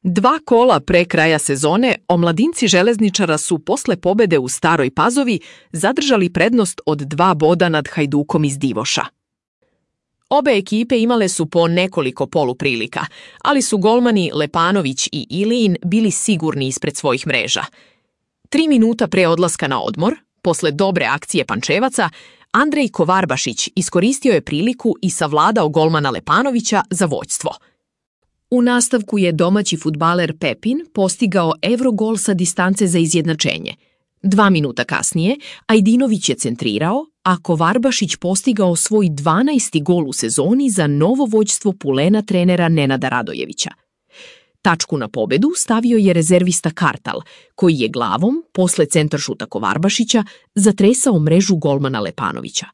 2 kola pre kraja sezone omladinci železničara su posle pobede u Staroj Pazovi zadržali prednost od 2 boda nad Hajdukom iz Divoša. Obe ekipe imale su po nekoliko poluprilika, ali su golmani Lepanović i Ilijin bili sigurni ispred svojih mreža. 3 minuta pre odlaska na odmor, posle dobre akcije Pančevaca, Andrej Kovarbašić iskoristio je priliku i savladao golmana Lepanovića za vođstvo. U nastavku je domaći fudbaler Pepin postigao evrogol sa distance za izjednačenje. 2 minuta kasnije Ajdinović je centrirao, a Kovarbašić postigao svoj 12. gol u sezoni za novo vođstvo Pulena trenera Nenada Radojevića. Tačku na pobedu stavio je rezervista Kartal, koji je glavom, posle centaršuta Kovarbašića, zatresao mrežu golmana Lepanovića.